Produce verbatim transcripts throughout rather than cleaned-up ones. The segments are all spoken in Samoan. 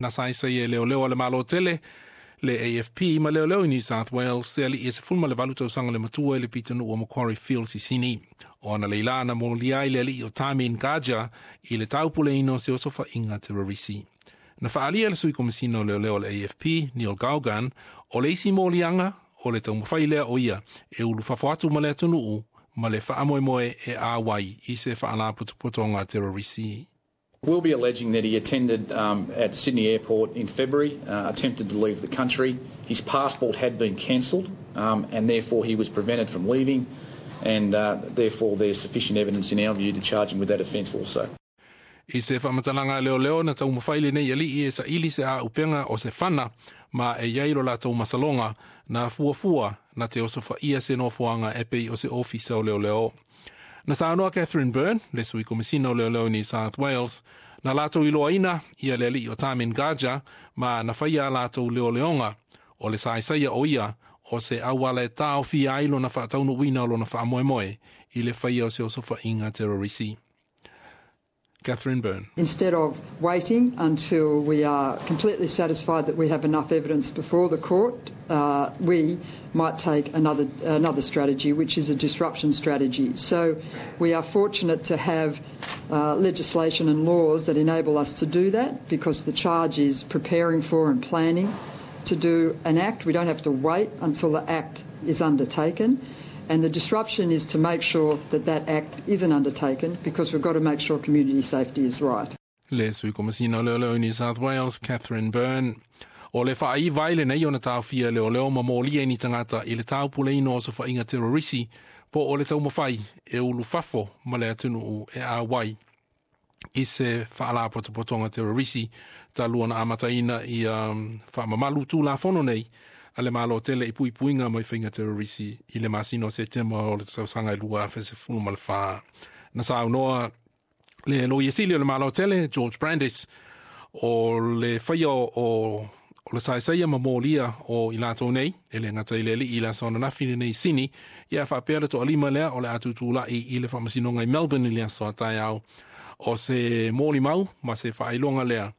Na saesae e leoleo a le Malo tele le A F P ma leoleo i New South Wales se ali'i e sefulu ma le valu tausaga le matua i le pitonuu o Macquarie Fields i Sini. O ana leila na molia ai le ali'i o Tamin Gaja i le taupuleina o se osofaiga terorisi. Na faalia le sui komisina o leoleo o le A F P, Neil Gaughan, o le isi moliaga o le taumafai lea o ia e ulufafo atu ma le atunuu ma le faamoemoe e auai i se faalapotopotoga terorisi. We'll be alleging that he attended um, at Sydney Airport in February, uh, attempted to leave the country. His passport had been cancelled, um, and therefore he was prevented from leaving, and uh, therefore there's sufficient evidence in our view to charge him with that offence also. I se faamatalaga leoleo na taumafai lenei ali'i e saili se auupega o se fana ma e iai lo latou masaloga na fuafua na te osofaia se nofoaga e pei o se ofisa o leoleo. Na saunoa Catherine Byrne, le sui komisina o leoleo New South Wales, na latou iloaina ia le ali'i o Tamin Gaja ma na faia a latou leoleoga o le saesaia o ia o se auala e taofia ai lona faataunuuina o lona faamoemoe i le faia o se osofaiga terorisi. Catherine Byrne. Instead of waiting until we are completely satisfied that we have enough evidence before the court, uh, we might take another, another strategy, which is a disruption strategy. So we are fortunate to have uh, legislation and laws that enable us to do that, because the charge is preparing for and planning to do an act. We don't have to wait until the act is undertaken. And the disruption is to make sure that that act isn't undertaken, because we've got to make sure community safety is right. Le sui komisina o leoleo New South Wales, Catherine Byrne. O le faaiva ai lenei ona taofia leoleo ma molia i ni tagata i le taupuleina o osofaiga terorisi po o le taumafai e ulufafo ma le atunuu e auai i se faalapotopotoga terorisi talu ona amataina i um, faamamalu tulafono nei a le Malo tele i puipuiga mai faiga terorisi i le masina o Setema o le tausaga e lua afe sefulu ma le fa. Na saunoa le loia sili o le Malo tele, George Brandis, o le faia o, o o le saesaia ma molia o i latou nei, e le gata i le ali'i i le aso ananafi lenei i Sini, ia faapea le toalima lea o le a tutula'i i le faamasinoga i Melbourne i le aso a taeao. O se molimau ma se faailoga lea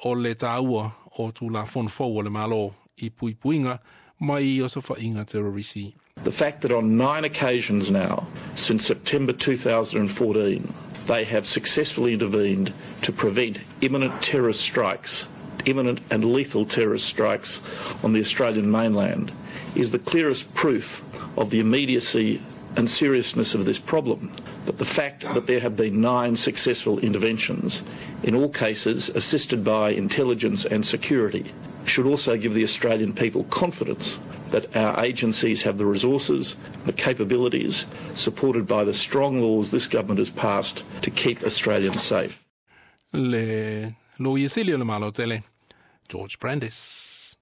o le tāua o tulafono fou o le Malo i puipuiga mai osofaiga terorisi. The fact that on nine occasions now, since September twenty fourteen, they have successfully intervened to prevent imminent terrorist strikes, imminent and lethal terrorist strikes on the Australian mainland, is the clearest proof of the immediacy and seriousness of this problem. But the fact that there have been nine successful interventions, in all cases assisted by intelligence and security, should also give the Australian people confidence that our agencies have the resources, the capabilities, supported by the strong laws this government has passed to keep Australians safe. Le loia sili o le Malo tele, George Brandis.